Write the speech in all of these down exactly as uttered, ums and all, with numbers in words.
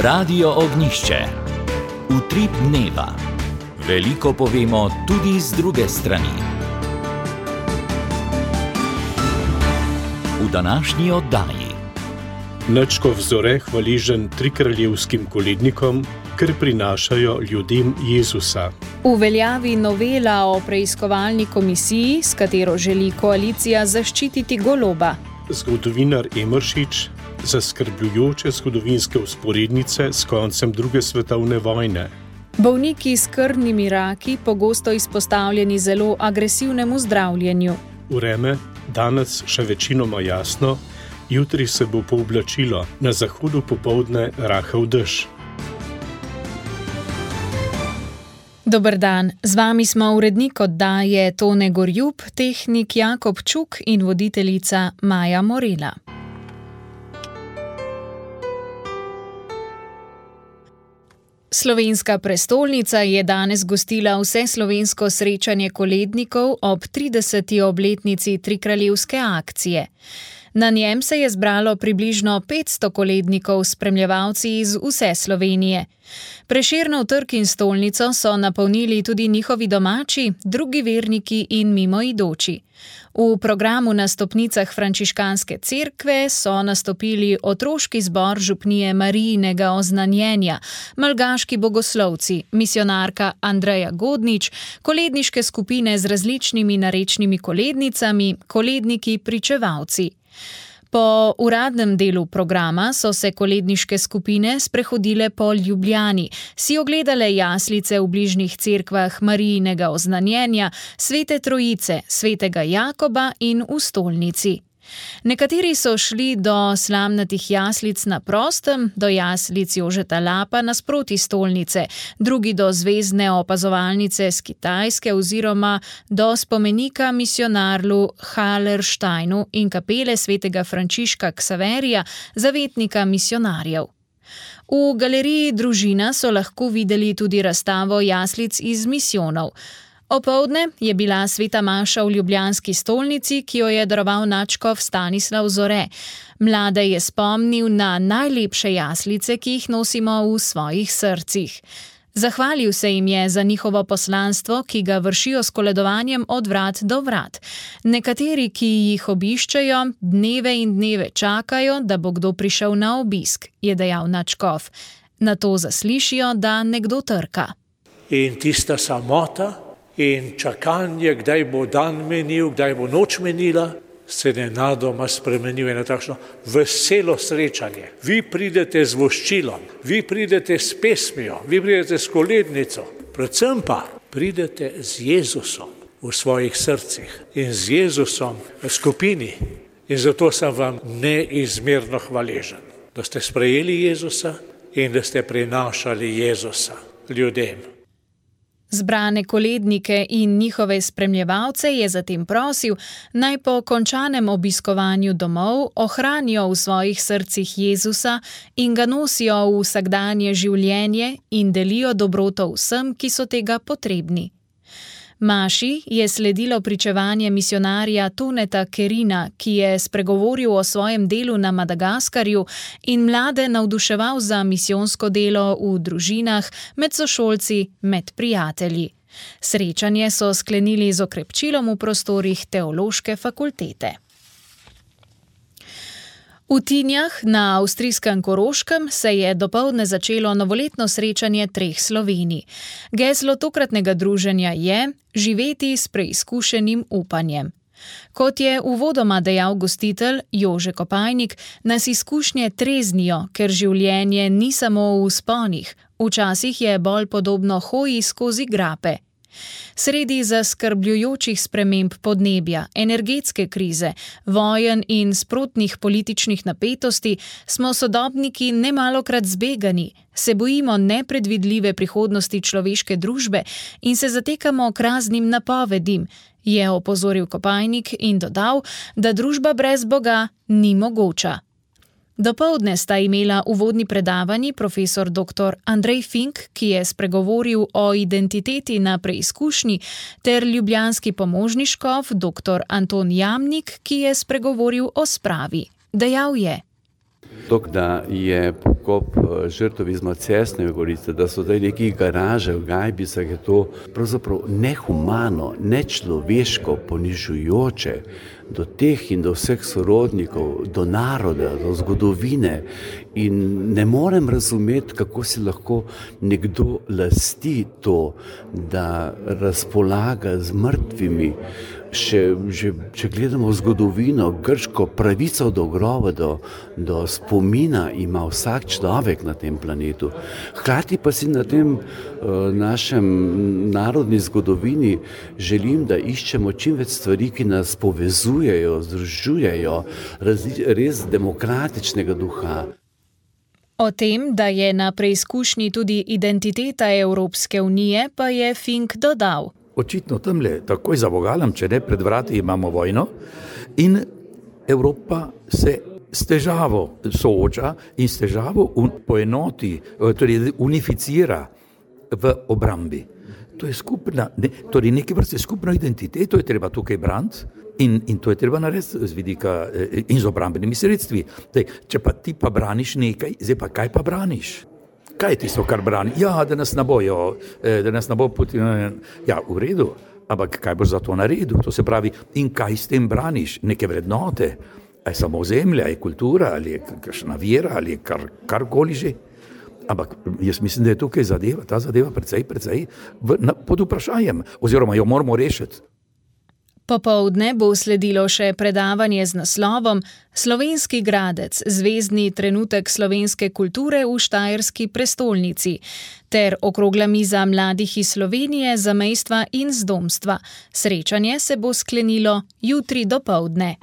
Radio Ognjišče. Utrip dneva. Veliko povemo tudi z druge strani. V današnji oddaji. Nadškof Zore hvaležen trikraljevskim kolednikom, ker prinašajo ljudem Jezusa. V veljavi novela o preiskovalni komisiji, s katero želi koalicija zaščititi goloba. Zgodovinar Emeršič, zaskrbljujoče zgodovinske vzporednice s koncem druge svetovne vojne. Bolniki s krvnimi raki pogosto izpostavljeni zelo agresivnemu zdravljenju. Vreme, danes še večinoma jasno, jutri se bo pooblačilo, na zahodu popoldne rahel dež. Dober dan, z vami smo urednik oddaje Tone Gorjup, tehnik Jakob Čuk in voditeljica Maja Morela. Slovenska prestolnica je danes gostila vseslovensko srečanje kolednikov ob trideseti obletnici trikraljevske akcije. Na njem se je zbralo približno petsto kolednikov s spremljevalci iz vse Slovenije. Prešernov trg in stolnico so napolnili tudi njihovi domači, drugi verniki in mimoidoči. V programu na stopnicah frančiškanske cerkve so nastopili otroški zbor župnije Marijinega oznanjenja, malgaški bogoslovci, misionarka Andreja Godnič, koledniške skupine z različnimi narečnimi kolednicami, koledniki pričevalci. Po uradnem delu programa so se koledniške skupine sprehodile po Ljubljani, si ogledale jaslice v bližnjih cerkvah Marijinega oznanjenja, Svete Trojice, Svetega Jakoba in v stolnici. Nekateri so šli do slamnatih jaslic na prostem, do jaslic Jožeta Lapa nasproti stolnice, drugi do zvezdne opazovalnice z Kitajske oziroma do spomenika misionarlu Hallersteinu in kapele svetega Frančiška Ksaverija, zavetnika misionarjev. V galeriji Družina so lahko videli tudi razstavo jaslic iz misijonov. Opoldne je bila sveta maša v ljubljanski stolnici, ki jo je daroval nadškof Stanislav Zore. Mlade je spomnil na najlepše jaslice, ki jih nosimo v svojih srcih. Zahvalil se jim je za njihovo poslanstvo, ki ga vršijo s koledovanjem od vrat do vrat. Nekateri, ki jih obiščejo, dneve in dneve čakajo, da bo kdo prišel na obisk, je dejal nadškof. Nato zaslišijo, da nekdo trka. In tista samota in čakanje, kdaj bo dan menil, kdaj bo noč menila, se nenadoma spremenil na takšno veselo srečanje. Vi pridete z voščilom, vi pridete s pesmijo, vi pridete s kolednico, predvsem pa pridete z Jezusom v svojih srcih in z Jezusom v skupini. In zato sem vam neizmerno hvaležen, da ste sprejeli Jezusa in da ste prinašali Jezusa ljudem. Zbrane kolednike in njihove spremljevalce je zatem prosil, naj po končanem obiskovanju domov ohranijo v svojih srcih Jezusa in ga nosijo v vsakdanje življenje in delijo dobroto vsem, ki so tega potrebni. Maši je sledilo pričevanje misionarja Toneta Kerina, ki je spregovoril o svojem delu na Madagaskarju in mlade navduševal za misijonsko delo v družinah, med sošolci, med prijatelji. Srečanje so sklenili z okrepčilom v prostorih teološke fakultete. V Tinjah na avstrijskem Koroškem se je dopoldne začelo novoletno srečanje treh Slovenij. Geslo tokratnega druženja je živeti s preizkušenim upanjem. Kot je uvodoma dejal gostitelj Jože Kopajnik, nas izkušnje treznijo, ker življenje ni samo v vzponih, včasih je bolj podobno hoji skozi grape. Sredi zaskrbljujočih sprememb podnebja, energetske krize, vojen in sprotnih političnih napetosti smo sodobniki nemalokrat zbegani, se bojimo nepredvidljive prihodnosti človeške družbe in se zatekamo k raznim napovedim, je opozoril Kopajnik in dodal, da družba brez Boga ni mogoča. Dopoldne sta imela uvodni predavanji profesor doktor Andrej Fink, ki je spregovoril o identiteti na preizkušnji, ter ljubljanski pomožni škof doktor Anton Jamnik, ki je spregovoril o spravi. Dejal je: to, da je pokop žrtev iz Macesnove gorice, da so zdaj neki garaže v Gajbicah, je to pravzaprav nehumano, nečloveško, ponižujoče do teh in do vseh sorodnikov, do naroda, do zgodovine. In ne morem razumeti, kako si lahko nekdo lasti to, da razpolaga z mrtvimi. Še, že, če gledamo zgodovino, grško pravico do groba, do, do spomina ima vsak človek na tem planetu. Hkrati pa si na tem uh, našem narodni zgodovini želim, da iščemo čim več stvari, ki nas povezujejo, združujejo, razli, res demokratičnega duha. O tem, da je na preizkušnji tudi identiteta Evropske unije, pa je Fink dodal. Očitno tamle, takoj za vogalom, če ne, pred vrati imamo vojno in Evropa se s težavo sooča in s težavo poenoti, torej unificira v obrambi. To je skupna, ne, torej neke vrste skupno identiteto je treba tukaj braniti in, in to je treba narediti z vidika in z obrambenimi sredstvi. Dej, če pa ti pa braniš nekaj, zdaj pa kaj pa braniš? Kaj je tisto, kar brani? Ja, da nas ne bojo, da nas ne bo Putin. Ja, v redu, ampak kaj boš za to naredil? To se pravi, in kaj s tem braniš? Neke vrednote? A je samo zemlja, je kultura, ali je kakšna vera, ali je kar, karkoli že? Ampak jaz mislim, da je tukaj zadeva, ta zadeva precej, precej v, na, pod vprašanjem, oziroma jo moramo rešiti. Popoldne bo sledilo še predavanje z naslovom Slovenski gradec, zvezdni trenutek slovenske kulture v štajerski prestolnici ter okrogla miza mladih iz Slovenije, zamejstva in zdomstva. Srečanje se bo sklenilo jutri dopoldne.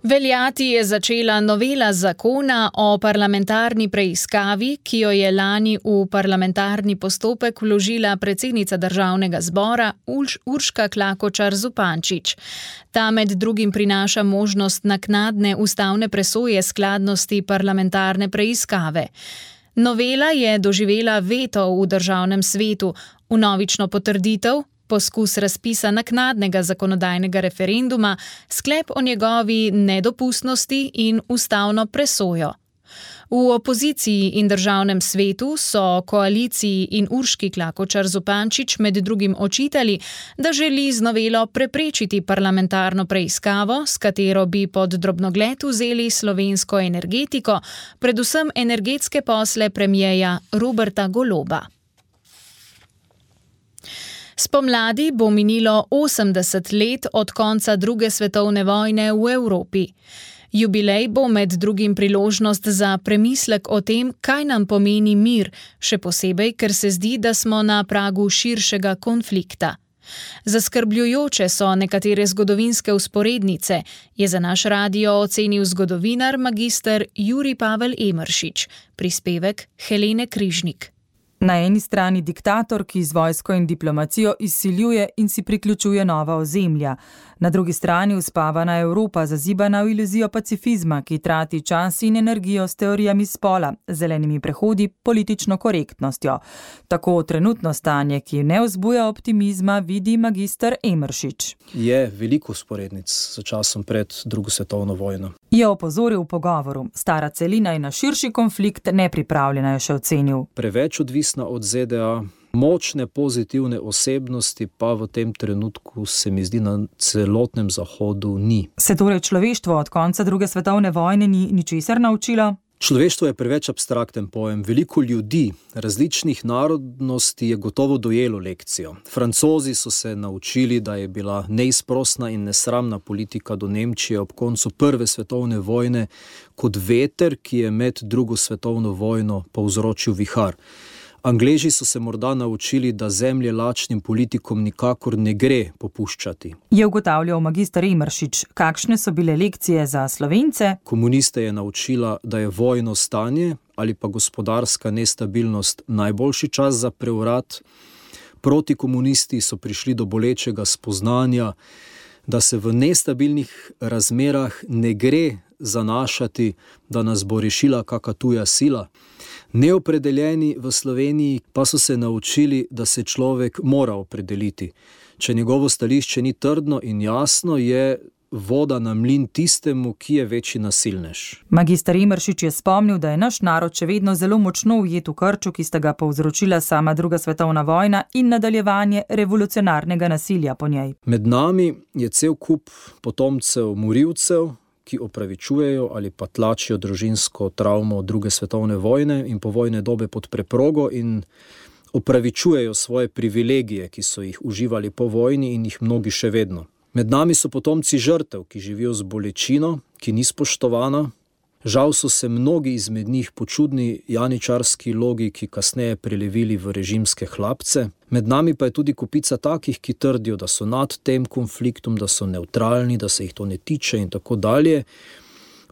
Veljati je začela novela zakona o parlamentarni preiskavi, ki jo je lani v parlamentarni postopek vložila predsednica Državnega zbora Urška Klakočar Zupančič. Ta med drugim prinaša možnost naknadne ustavne presoje skladnosti parlamentarne preiskave. Novela je doživela veto v Državnem svetu, vnovično potrditev, poskus razpisa naknadnega zakonodajnega referenduma, sklep o njegovi nedopustnosti in ustavno presojo. V opoziciji in Državnem svetu so koaliciji in Urški Klakočar Zupančič med drugim očitali, da želi z novelo preprečiti parlamentarno preiskavo, s katero bi pod drobnogled vzeli slovensko energetiko, predvsem energetske posle premierja Roberta Goloba. Spomladi bo minilo osemdeset let od konca druge svetovne vojne v Evropi. Jubilej bo med drugim priložnost za premislek o tem, kaj nam pomeni mir, še posebej, ker se zdi, da smo na pragu širšega konflikta. Zaskrbljujoče so nekatere zgodovinske vzporednice, je za naš radio ocenil zgodovinar magister Jurij Pavel Emeršič, prispevek Helene Križnik. Na eni strani diktator, ki z vojsko in diplomacijo izsiljuje in si priključuje nova ozemlja. Na drugi strani uspavana Evropa, zazibana v iluzijo pacifizma, ki trati čas in energijo s teorijami spola, zelenimi prehodi, politično korektnostjo. Tako trenutno stanje, ki ne vzbuja optimizma, vidi magister Emeršič. Je veliko vzporednic s časom pred drugo svetovno vojno. Je opozoril v pogovoru. Stara celina je na širši konflikt nepripravljena, je še ocenil. Preveč odvisna od Z D A, močne pozitivne osebnosti pa v tem trenutku se mi zdi na celotnem zahodu ni. Se torej človeštvo od konca druge svetovne vojne ni ničesar naučilo? Človeštvo je preveč abstrakten pojem. Veliko ljudi različnih narodnosti je gotovo dojelo lekcijo. Francozi so se naučili, da je bila neizprosna in nesramna politika do Nemčije ob koncu prve svetovne vojne kot veter, ki je med drugo svetovno vojno povzročil vihar. Angleži so se morda naučili, da zemlje lačnim politikom nikakor ne gre popuščati. Je ugotavljal magister Emeršič, kakšne so bile lekcije za Slovence? Komuniste je naučila, da je vojno stanje ali pa gospodarska nestabilnost najboljši čas za prevrat. Protikomunisti so prišli do bolečega spoznanja, da se v nestabilnih razmerah ne gre zanašati, da nas bo rešila kaka tuja sila. Neopredeljeni v Sloveniji pa so se naučili, da se človek mora opredeliti. Če njegovo stališče ni trdno in jasno, je voda na mlin tistemu, ki je večji nasilnež. Magister Emeršič je spomnil, da je naš narod še vedno zelo močno ujet v krču, ki sta ga povzročila sama druga svetovna vojna in nadaljevanje revolucionarnega nasilja po njej. Med nami je cel kup potomcev morilcev, ki opravičujejo ali pa tlačijo družinsko travmo druge svetovne vojne in povojne dobe pod preprogo in opravičujejo svoje privilegije, ki so jih uživali po vojni in jih mnogi še vedno. Med nami so potomci žrtev, ki živijo z bolečino, ki ni spoštovana. Žal so se mnogi izmed njih po čudni janičarski logiki kasneje prelevili v režimske hlapce. Med nami pa je tudi kupica takih, ki trdijo, da so nad tem konfliktom, da so nevtralni, da se jih to ne tiče in tako dalje.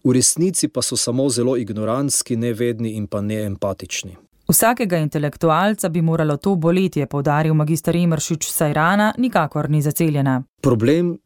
V resnici pa so samo zelo ignorantski, nevedni in pa neempatični. Vsakega intelektualca bi moralo to boleti, je poudaril magister Emeršič, saj rana nikakor ni zaceljena. Problem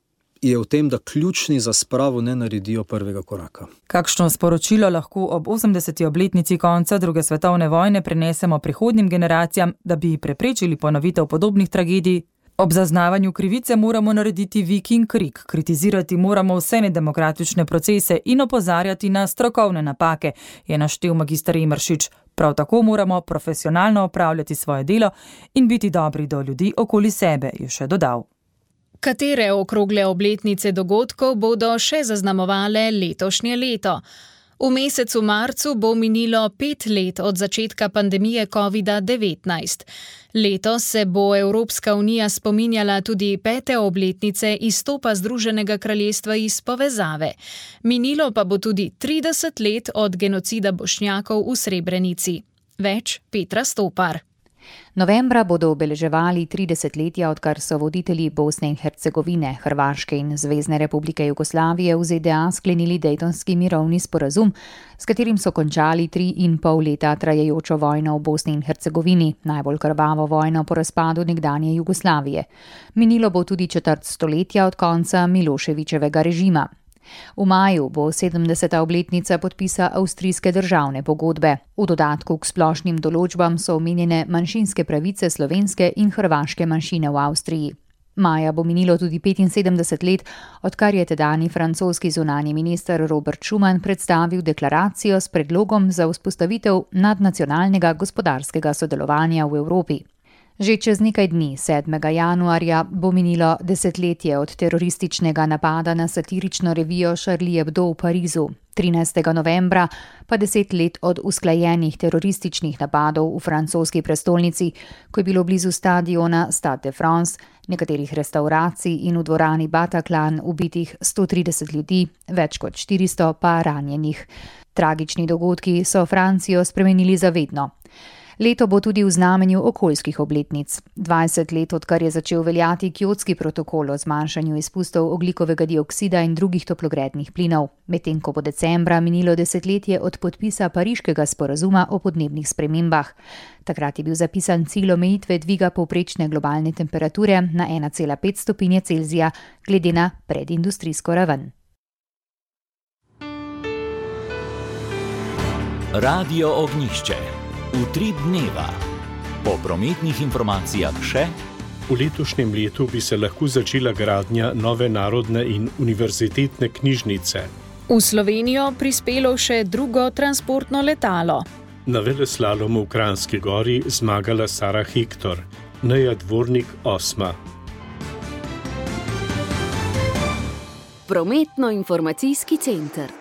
je v tem, da ključni za spravo ne naredijo prvega koraka. Kakšno sporočilo lahko ob osemdeseti obletnici konca druge svetovne vojne prenesemo prihodnjim generacijam, da bi preprečili ponovitev podobnih tragedij? Ob zaznavanju krivice moramo narediti vik in krik, kritizirati moramo vse nedemokratične procese in opozarjati na strokovne napake, je naštel magister Emeršič. Prav tako moramo profesionalno opravljati svoje delo in biti dobri do ljudi okoli sebe, je še dodal. Katere okrogle obletnice dogodkov bodo še zaznamovale letošnje leto? V mesecu marcu bo minilo pet let od začetka pandemije kovida devetnajst. Letos se bo Evropska unija spominjala tudi pete obletnice izstopa Združenega kraljestva iz povezave. Minilo pa bo tudi trideset let od genocida Bošnjakov v Srebrenici. Več Petra Stopar. Novembra bodo obeleževali tridesetletja, odkar so voditelji Bosne in Hercegovine, Hrvaške in Zvezne republike Jugoslavije v Z D A sklenili Dejtonski mirovni sporazum, s katerim so končali tri in pol leta trajajočo vojno v Bosni in Hercegovini, najbolj krvavo vojno po razpadu nekdanje Jugoslavije. Minilo bo tudi četrt stoletja od konca Miloševićevega režima. V maju bo sedemdeseta obletnica podpisa avstrijske državne pogodbe. V dodatku k splošnim določbam so omenjene manjšinske pravice slovenske in hrvaške manjšine v Avstriji. Maja bo minilo tudi petinsedemdeset let, odkar je tedajni francoski zunanji minister Robert Schuman predstavil deklaracijo s predlogom za vzpostavitev nadnacionalnega gospodarskega sodelovanja v Evropi. Že čez nekaj dni, sedmega januarja, bo minilo desetletje od terorističnega napada na satirično revijo Charlie Hebdo v Parizu, trinajstega novembra pa deset let od usklajenih terorističnih napadov v francoski prestolnici, ko je bilo blizu stadiona Stade de France, nekaterih restauracij in v dvorani Bataclan ubitih sto trideset ljudi, več kot štiristo pa ranjenih. Tragični dogodki so Francijo spremenili za vedno. Leto bo tudi v znamenju okoljskih obletnic. dvajset let, odkar je začel veljati Kjotski protokol o zmanjšanju izpustov ogljikovega dioksida in drugih toplogrednih plinov, medtem ko bo decembra minilo desetletje od podpisa Pariškega sporazuma o podnebnih spremembah. Takrat je bil zapisan cilj omejitve dviga povprečne globalne temperature na ena cela pet stopinje Celzija glede na predindustrijsko raven. Radio Ognjišče. Utrip dneva. Po prometnih informacijah še. V letošnjem letu bi se lahko začela gradnja nove narodne in univerzitetne knjižnice. V Slovenijo prispelo še drugo transportno letalo. Na veleslalomu v Kranjski Gori zmagala Sara Hektor, Neja Dvornik osma. Prometno-informacijski center.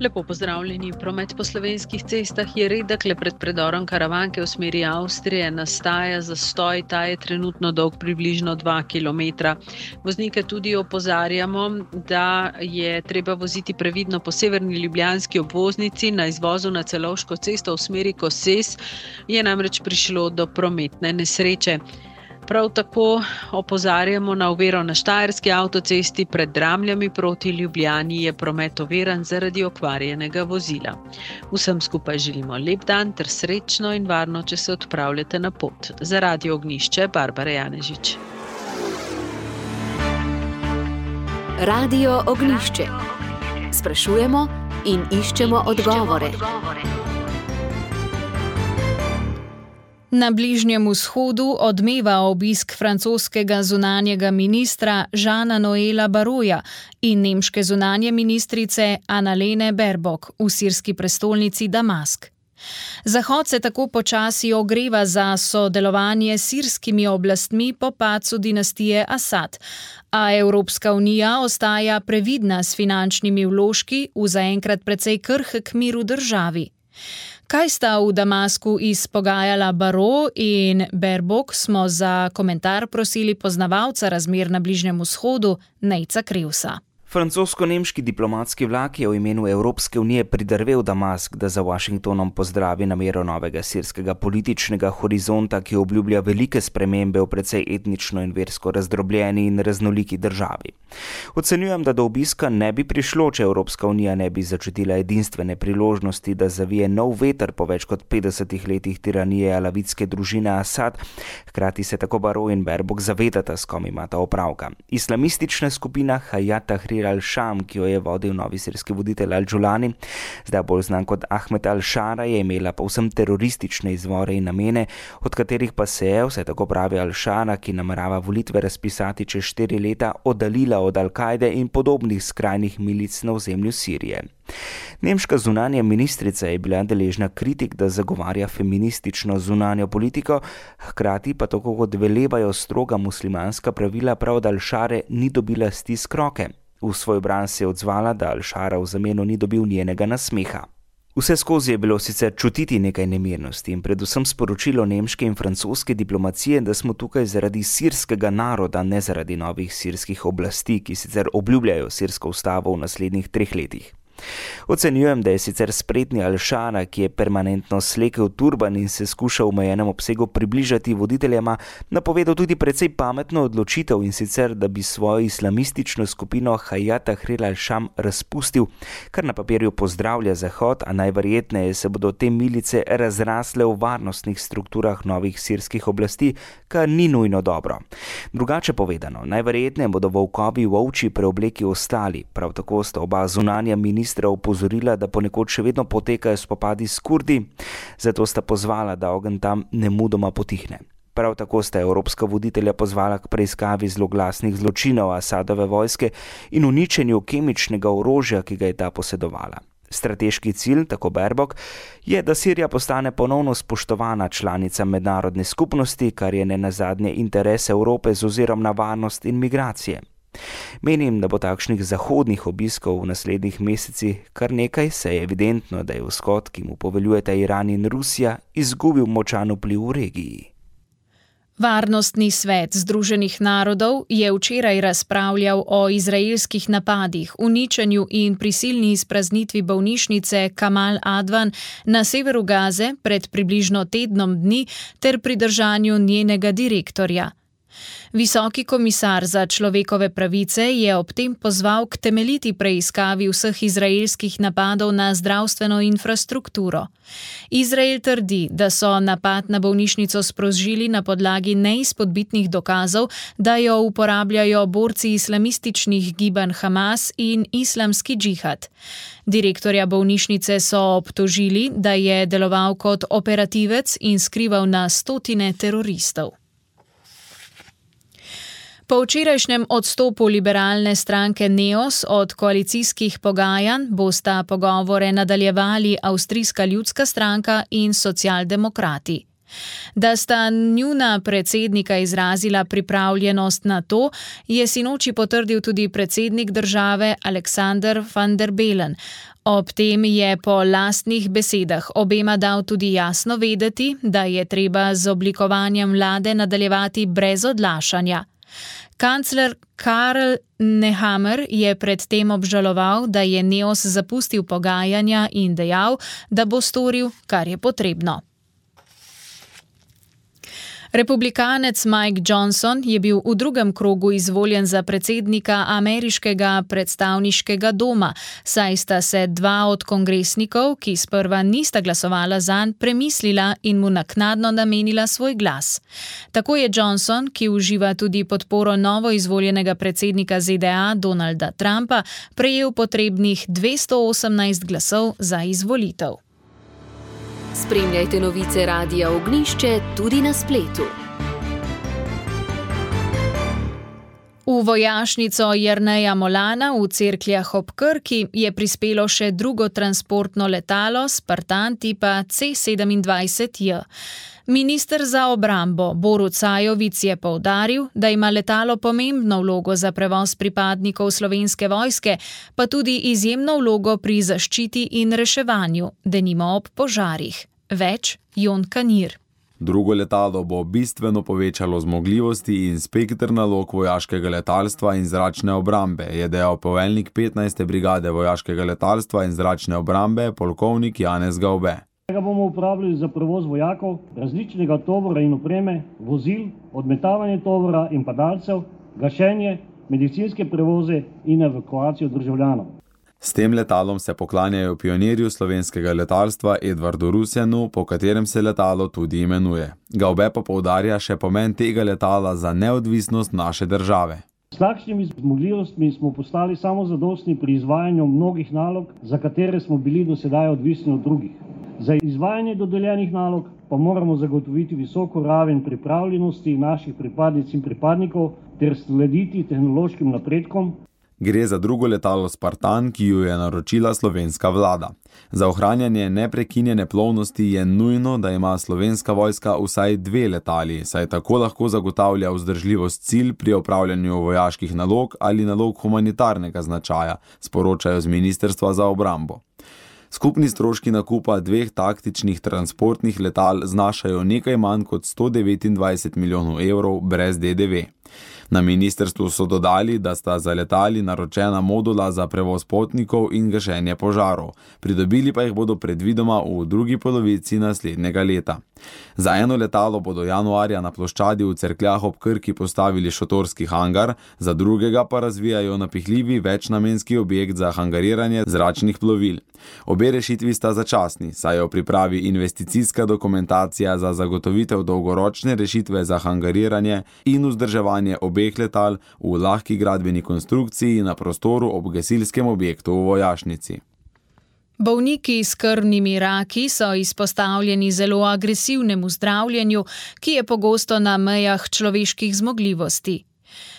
Lepo pozdravljeni. Promet po slovenskih cestah je redek, le pred predorom Karavanke v smeri Avstrije nastaja zastoj, ta je trenutno dolg približno dva kilometra. Voznike tudi opozarjamo, da je treba voziti previdno po severni ljubljanski obvoznici. Na izvozu na Celovško cesto v smeri Koses je namreč prišlo do prometne nesreče. Prav tako opozarjamo na oviro na Štajerski avtocesti pred Dramljami proti Ljubljani je promet oviran zaradi okvarjenega vozila. Vsem skupaj želimo lep dan ter srečno in varno, če se odpravljate na pot. Za Radio Ognjišče, Barbara Janežič. Radio Ognjišče. Sprašujemo in iščemo odgovore. Na Bližnjem vzhodu odmeva obisk francoskega zunanjega ministra Jeana Noela Barroja in nemške zunanje ministrice Annalene Baerbock v sirski prestolnici Damask. Zahod se tako počasi ogreva za sodelovanje s sirskimi oblastmi po padcu dinastije Asad, a Evropska unija ostaja previdna s finančnimi vložki v zaenkrat precej krhek mir v državi. Kaj sta v Damasku izpogajala Barrot in Baerbock, smo za komentar prosili poznavalca razmer na Bližnjem vzhodu Nejca Krivsa. Francosko-nemški diplomatski vlak je v imenu Evropske unije pridrvel Damask, da za Washingtonom pozdravi namero novega sirskega političnega horizonta, ki obljublja velike spremembe v precej etnično in versko razdrobljeni in raznoliki državi. Ocenjujem, da do obiska ne bi prišlo, če Evropska unija ne bi začutila edinstvene priložnosti, da zavije nov veter po več kot petdesetih letih tiranije alavitske družine Asad. Hkrati se tako Barrot in Baerbock zavedata, s kom imata opravka. Islamistična skupina Hayat Tahrir al-Sham, ki jo je vodil novi sirski voditelj Al-Julani, zdaj bolj znan kot Ahmed al-Shara, je imela povsem teroristične izvore in namene, od katerih pa se je, vse tako pravi al-Shara, ki namerava volitve razpisati čez štiri leta, oddaljila od Al-Kaide in podobnih skrajnih milic na ozemlju Sirije. Nemška zunanja ministrica je bila deležna kritik, da zagovarja feministično zunanjo politiko, hkrati pa tako kot velevajo stroga muslimanska pravila, prav od al-Share ni dobila stisk roke. V svoj bran se je odzvala, da al-Shara v zameno ni dobil njenega nasmeha. Vse skozi je bilo sicer čutiti nekaj nemirnosti in predvsem sporočilo nemške in francoske diplomacije, da smo tukaj zaradi sirskega naroda, ne zaradi novih sirskih oblasti, ki sicer obljubljajo sirsko ustavo v naslednjih treh letih. Ocenjujem, da je sicer spretni al-Shara, ki je permanentno slekel turban in se skuša v omejenem obsegu približati voditeljema, napovedal tudi precej pametno odločitev, in sicer, da bi svojo islamistično skupino Hayat Tahrir al-Sham razpustil, kar na papirju pozdravlja Zahod, a najverjetneje se bodo te milice razrasle v varnostnih strukturah novih sirskih oblasti, kar ni nujno dobro. Drugače povedano, najverjetneje bodo volkovi v ovčji preobleki ostali, prav tako sta oba zunanja ministra opozorila, da ponekod še vedno potekajo spopadi s Kurdi, zato sta pozvala, da ogenj tam nemudoma potihne. Prav tako sta evropska voditelja pozvala k preiskavi zloglasnih zločinov Asadove vojske in uničenju kemičnega orožja, ki ga je ta posedovala. Strateški cilj, tako Baerbock, je, da Sirija postane ponovno spoštovana članica mednarodne skupnosti, kar je nenazadnje interes Evrope z ozirom na varnost in migracije. Menim, da bo takšnih zahodnih obiskov v naslednjih mesecih kar nekaj, saj je evidentno, da je vzhod, ki mu poveljujeta Iran in Rusija, izgubil močan vpliv v regiji. Varnostni svet Združenih narodov je včeraj razpravljal o izraelskih napadih, uničenju in prisilni izpraznitvi bolnišnice Kamal Advan na severu Gaze pred približno tednom dni ter pridržanju njenega direktorja. Visoki komisar za človekove pravice je ob tem pozval k temeljiti preiskavi vseh izraelskih napadov na zdravstveno infrastrukturo. Izrael trdi, da so napad na bolnišnico sprožili na podlagi neizpodbitnih dokazov, da jo uporabljajo borci islamističnih gibanj Hamas in islamski džihad. Direktorja bolnišnice so obtožili, da je deloval kot operativec in skrival na stotine teroristov. Po včerajšnjem odstopu liberalne stranke Neos od koalicijskih pogajanj bosta pogovore nadaljevali Avstrijska ljudska stranka in socialdemokrati. Da sta njuna predsednika izrazila pripravljenost na to, je sinoči potrdil tudi predsednik države Alexander van der Bellen. Ob tem je po lastnih besedah obema dal tudi jasno vedeti, da je treba z oblikovanjem vlade nadaljevati brez odlašanja. Kancler Karl Nehammer je predtem obžaloval, da je Neos zapustil pogajanja in dejal, da bo storil, kar je potrebno. Republikanec Mike Johnson je bil v drugem krogu izvoljen za predsednika ameriškega predstavniškega doma, saj sta se dva od kongresnikov, ki sprva nista glasovala zanj, premislila in mu naknadno namenila svoj glas. Tako je Johnson, ki uživa tudi podporo novo izvoljenega predsednika Z D A Donalda Trumpa, prejel potrebnih dvesto osemnajst glasov za izvolitev. Spremljajte novice Radia Ognišče tudi na spletu. V vojašnico Jerneja Molana v Cerkljah ob Krki je prispelo še drugo transportno letalo Spartan tipa C sedemindvajset J. Minister za obrambo Borut Sajovic je poudaril, da ima letalo pomembno vlogo za prevoz pripadnikov Slovenske vojske, pa tudi izjemno vlogo pri zaščiti in reševanju, denimo ob požarih. Več Jon Kanir. Drugo letalo bo bistveno povečalo zmogljivosti in spektr nalog vojaškega letalstva in zračne obrambe, je dejal poveljnik petnajste brigade vojaškega letalstva in zračne obrambe, polkovnik Janez Gaube. Ga bomo uporabljali za prevoz vojakov, različnega tovora in opreme, vozil, odmetavanje tovora in padalcev, gašenje, medicinske prevoze in evakuacijo državljanov. S tem letalom se poklanjajo pionirju slovenskega letalstva Edvardu Rusjanu, po katerem se letalo tudi imenuje. Gaube pa poudarja še pomen tega letala za neodvisnost naše države. S takšnimi zmogljivostmi smo postali samozadostni pri izvajanju mnogih nalog, za katere smo bili do sedaj odvisni od drugih. Za izvajanje dodeljenih nalog pa moramo zagotoviti visoko raven pripravljenosti naših pripadnic in pripadnikov ter slediti tehnološkim napredkom. Gre za drugo letalo Spartan, ki jo je naročila slovenska vlada. Za ohranjanje neprekinjene plovnosti je nujno, da ima slovenska vojska vsaj dve letali, saj tako lahko zagotavlja vzdržljivost cilj pri opravljanju vojaških nalog ali nalog humanitarnega značaja, sporočajo z Ministrstva za obrambo. Skupni stroški nakupa dveh taktičnih transportnih letal znašajo nekaj manj kot sto devetindvajset milijonov evrov brez D D V. Na ministrstvu so dodali, da sta za letali naročena modula za prevoz potnikov in gašenje požarov. Pridobili pa jih bodo predvidoma v drugi polovici naslednjega leta. Za eno letalo bodo januarja na ploščadi v Cerkljah ob Krki postavili šotorski hangar, za drugega pa razvijajo napihljivi večnamenski objekt za hangariranje zračnih plovil. Obe rešitvi sta začasni, saj je v pripravi investicijska dokumentacija za zagotovitev dolgoročne rešitve za hangariranje in vzdrževanje obeh letal v lahki gradbeni konstrukciji na prostoru ob gasilskem objektu v vojašnici. Bolniki s krvnimi raki so izpostavljeni zelo agresivnemu zdravljenju, ki je pogosto na mejah človeških zmogljivosti.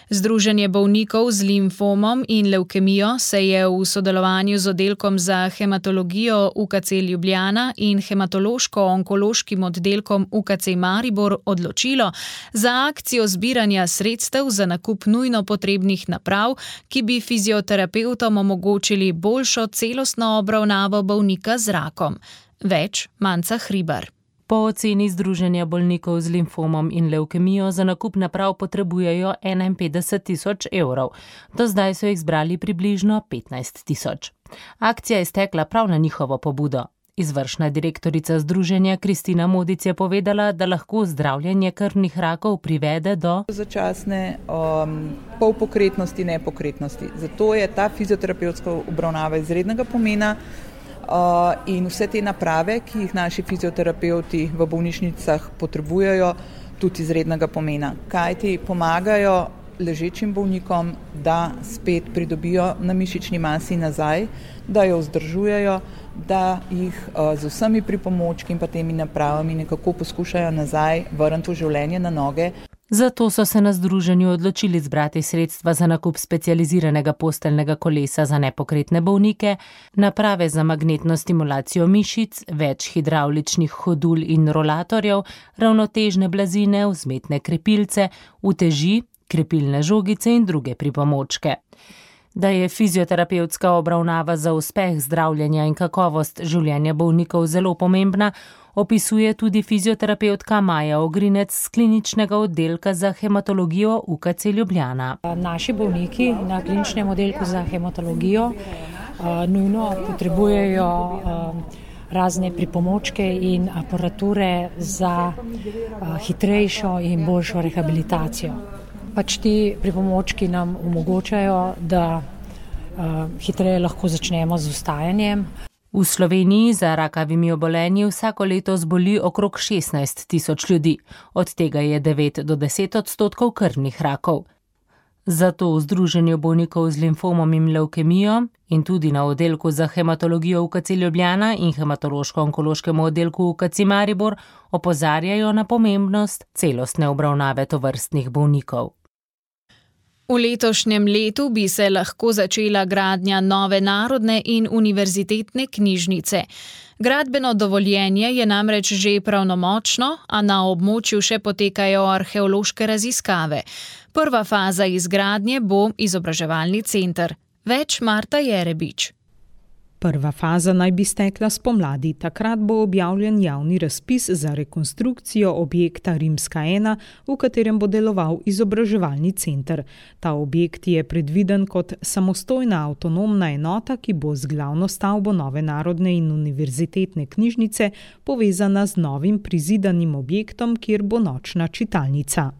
Združenje bolnikov z limfomom in levkemijo se je v sodelovanju z oddelkom za hematologijo U K C Ljubljana in hematološko-onkološkim oddelkom U K C Maribor odločilo za akcijo zbiranja sredstev za nakup nujno potrebnih naprav, ki bi fizioterapevtom omogočili boljšo celostno obravnavo bolnika z rakom. Več Manca Hribar. Po oceni Združenja bolnikov z limfomom in levkemijo za nakup naprav potrebujejo enainpetdeset tisoč evrov. Do zdaj so jih zbrali približno petnajst tisoč. Akcija je stekla prav na njihovo pobudo. Izvršna direktorica združenja Kristina Modic je povedala, da lahko zdravljenje krvnih rakov privede do začasne um, polpokretnosti, nepokretnosti. Zato je ta fizioterapevtska obravnava izrednega pomena. Uh, in vse te naprave, ki jih naši fizioterapevti v bolnišnicah potrebujejo, tudi izrednega pomena. Kaj ti pomagajo ležečim bolnikom, da spet pridobijo na mišični masi nazaj, da jo vzdržujejo, da jih uh, z vsemi pripomočki in pa temi napravami nekako poskušajo nazaj vrniti v življenje na noge. Zato so se na združenju odločili zbrati sredstva za nakup specializiranega posteljnega kolesa za nepokretne bolnike, naprave za magnetno stimulacijo mišic, več hidravličnih hodul in rolatorjev, ravnotežne blazine, vzmetne krepilce, uteži, krepilne žogice in druge pripomočke. Da je fizioterapevtska obravnava za uspeh zdravljenja in kakovost življenja bolnikov zelo pomembna, opisuje tudi fizioterapevtka Maja Ogrinec z kliničnega oddelka za hematologijo U K C Ljubljana. Naši bolniki na kliničnem oddelku za hematologijo uh, nujno potrebujejo uh, razne pripomočke in aparature za uh, hitrejšo in boljšo rehabilitacijo. Pač ti pripomočki nam omogočajo, da uh, hitreje lahko začnemo z vstajanjem. V Sloveniji za rakavimi obolenji vsako leto zboli okrog šestnajst tisoč ljudi, od tega je devet do deset odstotkov krvnih rakov. Zato v Združenju bolnikov z limfomom in levkemijo in tudi na oddelku za hematologijo v U K C Ljubljana in hematološko-onkološkem oddelku v U K C Maribor opozarjajo na pomembnost celostne obravnave tovrstnih bolnikov. V letošnjem letu bi se lahko začela gradnja nove narodne in univerzitetne knjižnice. Gradbeno dovoljenje je namreč že pravnomočno, a na območju še potekajo arheološke raziskave. Prva faza izgradnje bo izobraževalni center. Več Marta Jerebič. Prva faza naj bi stekla spomladi. Takrat bo objavljen javni razpis za rekonstrukcijo objekta Rimska ena, v katerem bo deloval izobraževalni center. Ta objekt je predviden kot samostojna avtonomna enota, ki bo z glavno stavbo nove narodne in univerzitetne knjižnice povezana z novim prizidanim objektom, kjer bo nočna čitalnica.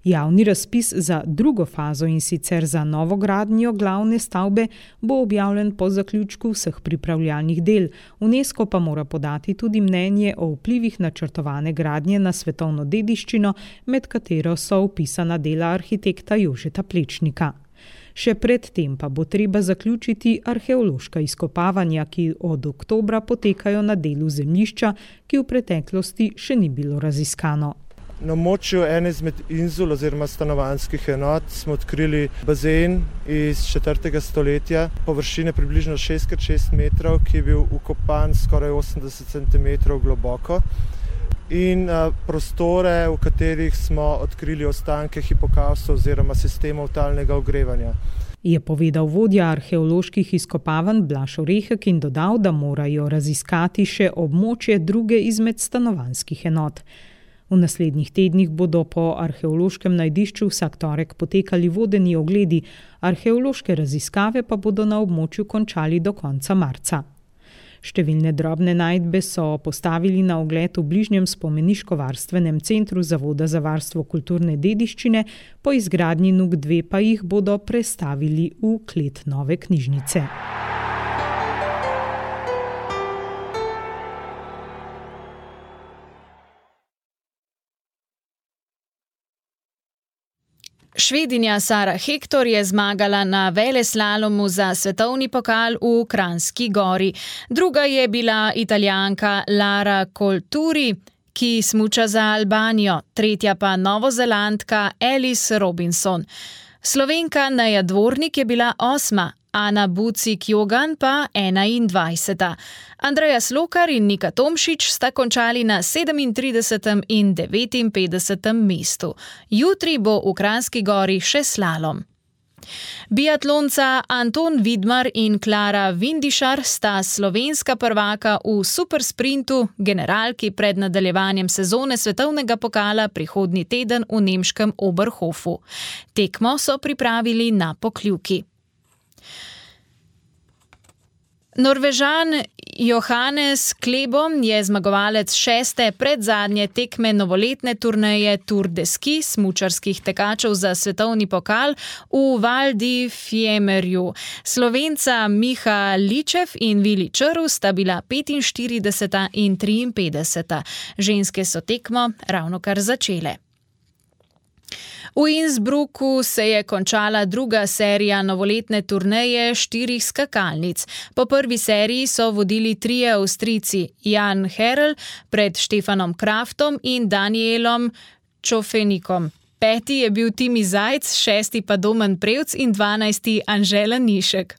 Javni razpis za drugo fazo in sicer za novogradnjo glavne stavbe bo objavljen po zaključku vseh pripravljalnih del. UNESCO pa mora podati tudi mnenje o vplivih načrtovane gradnje na svetovno dediščino, med katero so vpisana dela arhitekta Jožeta Plečnika. Še predtem pa bo treba zaključiti arheološka izkopavanja, ki od oktobra potekajo na delu zemljišča, ki v preteklosti še ni bilo raziskano. Na območju ene izmed inzul oziroma stanovanjskih enot smo odkrili bazen iz četrtega stoletja, površine približno šest krat šest metrov, ki je bil ukopan skoraj osemdeset centimetrov globoko, in prostore, v katerih smo odkrili ostanke hipokausta oziroma sistemov talnega ogrevanja. Je povedal vodja arheoloških izkopavanj Blaž Orehek in dodal, da morajo raziskati še območje druge izmed stanovanjskih enot. V naslednjih tednih bodo po arheološkem najdišču vsak torek potekali vodeni ogledi, arheološke raziskave pa bodo na območju končali do konca marca. Številne drobne najdbe so postavili na ogled v bližnjem spomeniško-varstvenem centru Zavoda za varstvo kulturne dediščine, po izgradnji N U K dve pa jih bodo prestavili v klet nove knjižnice. Švedinja Sara Hektor je zmagala na veleslalomu za svetovni pokal v Kranjski Gori. Druga je bila Italijanka Lara Colturi, ki smuča za Albanijo, tretja pa Novozelandka Alice Robinson. Slovenka Neja Dvornik je bila osma, Ana Bucik-Jogan pa enaindvajseta. Andreja Slokar in Nika Tomšič sta končali na sedemintridesetem in devetinpetdesetem mestu. Jutri bo v Kranjski Gori še slalom. Biatlonca Anton Vidmar in Klara Vindišar sta slovenska prvaka v supersprintu, generalki pred nadaljevanjem sezone svetovnega pokala prihodnji teden v nemškem Oberhofu. Tekmo so pripravili na Pokljuki. Norvežan Johannes Klebo je zmagovalec šeste predzadnje tekme novoletne turneje Tour de Ski smučarskih tekačev za svetovni pokal v Val di Fiemerju. Slovenca Miha Ličev in Vili Črv sta bila petinštirideseta in triinpetdeseta. Ženske so tekmo ravnokar začele. V Innsbrucku se je končala druga serija novoletne turneje štirih skakalnic. Po prvi seriji so vodili trije Avstrijci, Jan Herl pred Štefanom Kraftom in Danielom Čofenikom. Peti je bil Timi Zajc, šesti pa Domen Prevc in dvanajsti Anžela Nišek.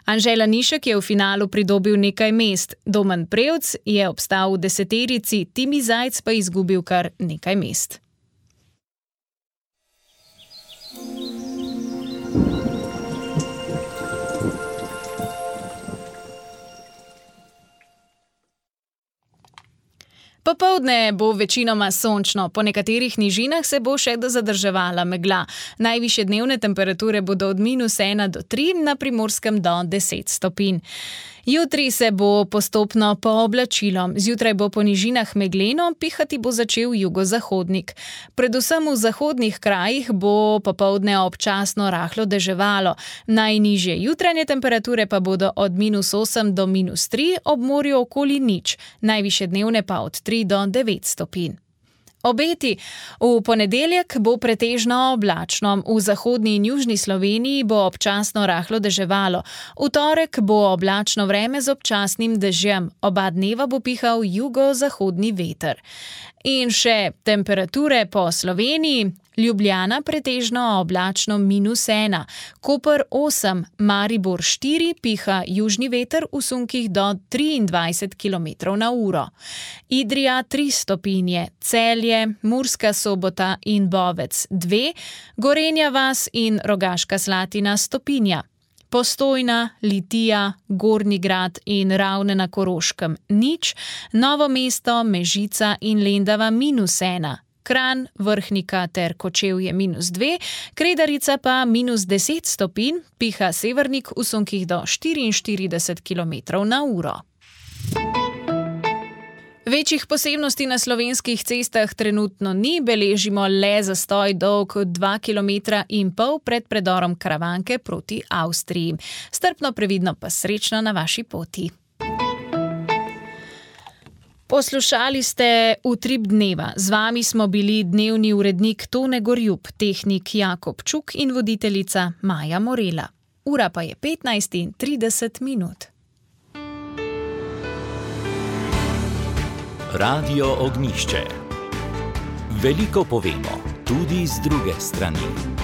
Anžela Nišek je v finalu pridobil nekaj mest, Domen Prevc je obstal v deseterici, Timi Zajc pa izgubil kar nekaj mest. Popoldne bo večinoma sončno, po nekaterih nižinah se bo še zadrževala megla. Najvišje dnevne temperature bodo od minus ena do tri, na Primorskem do deset stopinj. Jutri se bo postopno pooblačilo. Zjutraj bo po nižinah megleno, pihati bo začel jugozahodnik. Predvsem v zahodnih krajih bo popoldne občasno rahlo deževalo. Najnižje jutranje temperature pa bodo od minus osem do minus tri, ob morju okoli nič. Najvišje dnevne pa od tri do devet stopinj. Obeti. V ponedeljek bo pretežno oblačno, v zahodni in južni Sloveniji bo občasno rahlo deževalo. V torek bo oblačno vreme z občasnim dežjem, oba dneva bo pihal jugozahodni veter. In še temperature po Sloveniji. Ljubljana pretežno oblačno minus ena, Koper osem, Maribor štiri, piha južni veter v sunkih do triindvajset kilometrov na uro. Idrija tri stopinje, Celje, Murska Sobota in Bovec dve, Gorenja vas in Rogaška Slatina stopinja. Postojna, Litija, Gornji Grad in Ravne na Koroškem nič, Novo mesto, Mežica in Lendava minus ena. Kranj, Vrhnika ter Kočevje minus dve, Kredarica pa minus deset stopinj, piha severnik v sunkih do štiriinštirideset kilometrov na uro. Večjih posebnosti na slovenskih cestah trenutno ni, beležimo le zastoj dolg dva kilometra in pol pred predorom Karavanke proti Avstriji. Strpno, previdno pa srečno na vaši poti. Poslušali ste Utrip dneva. Z vami smo bili dnevni urednik Tone Gorjup, tehnik Jakob Čuk in voditeljica Maja Morela. Ura pa je petnajst in trideset minut. Radio Ognjišče. Veliko povemo, tudi z druge strani.